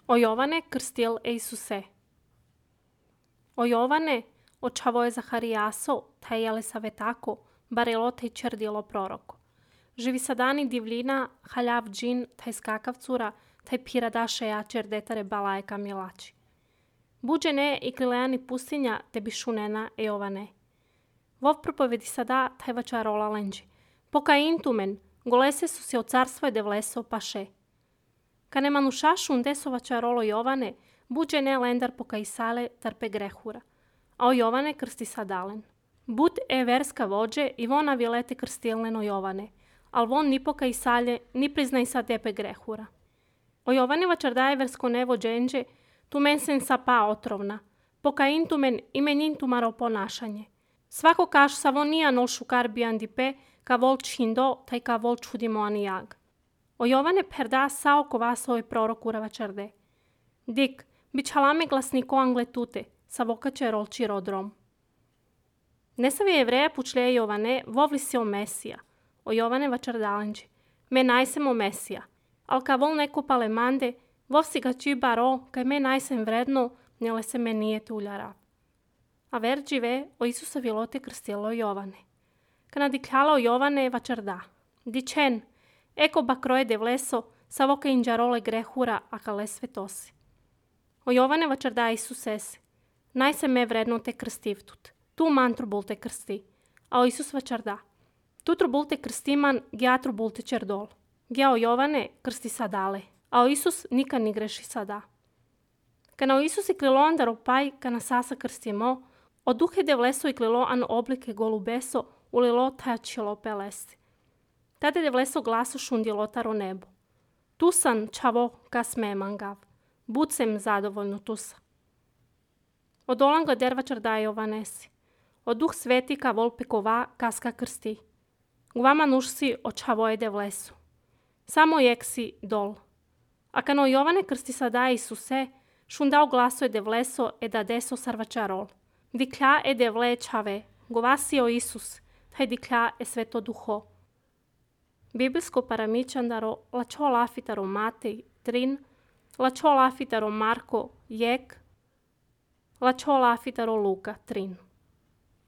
O Jovane, crstil Eisuse. O Jovane, očavoje Zahariaso, taj Elisavetako, barelo taj čerdilo proroko. Živi sadani divljina, haljav džin, taj skakavcura, taj piradaše ja čerdetare balajka milači. Buđene i krilejani pustinja te bišunena e Jovane. Vov propovedi sada taj vačarola lenđi. Poka intumen, golese su se od carstva devleso paše. Kane manušašun desova čarolo Jovane, buđene lendar poka isale tarpe grehura. A o Jovane krsti sadalen. Bud e verska vođe i vona vilete krstilneno Jovane, al von ni poka isalje, ni priznaj sa tepe grehura. O Jovane vačardaje versko nevo dženđe, tu men sen sapa otrovna, poka intumen imen intumaro ponašanje. Svako kaš sa von nija nol šukar biandipe, ka vol čindo, taj ka vol čudimo anijag. O Jovane perda sao kovasoj prorokura vačarde. Dik, bičalame glasniko angletute, sa vokače rolči rodrom. Nesavi jevreja pučlje Jovane, vovli se o Mesija. O Jovane vačardalenđi. Me najsem o Mesija. Al ka vol neko palemande, vov si ga či baro, kaj me najsem vredno, njele se me nije tuljara. A verđive o Isusa vilote krstilo Jovane. Kana dikljalo Jovane vačarda. Dičen, eko bakroje devleso, sa voka inđarole grehura, a kale svetosi. O Jovane vačarda Isusese. Najsem me vredno te krstivtut. Tu man trubul te krsti. A o Isus vačarda. Tu trubul te krstiman, gja trubul te čerdol. Gja o Jovane krsti sadale. A o Isus nikad ni greši sada. Kana o Isus i klilo andar opaj, kana sasa krstimo, o duhe devleso i klilo an oblike golubeso, ulilo tačilo pelesti. Tate devleso glaso šundilo taro nebo. Tu san čavo kas me mangav. Bud sem zadovoljno tusa. Od olanga dervačar daje Jovanesi. Od duh sveti ka volpekova kaska krsti. Gvama nušsi očavoje devlesu. Samo jeksi dol. A kano Jovane krsti sada Isuse, šundao glaso je devleso e da deso sarvačarol. Diklja e devle čave, govasi o Isus, taj diklja e sveto duho. Biblijsko paramičandaro lačo lafitaro Matej 3, lačo lafitaro Marko jek, lačo lafitaro Luka 3.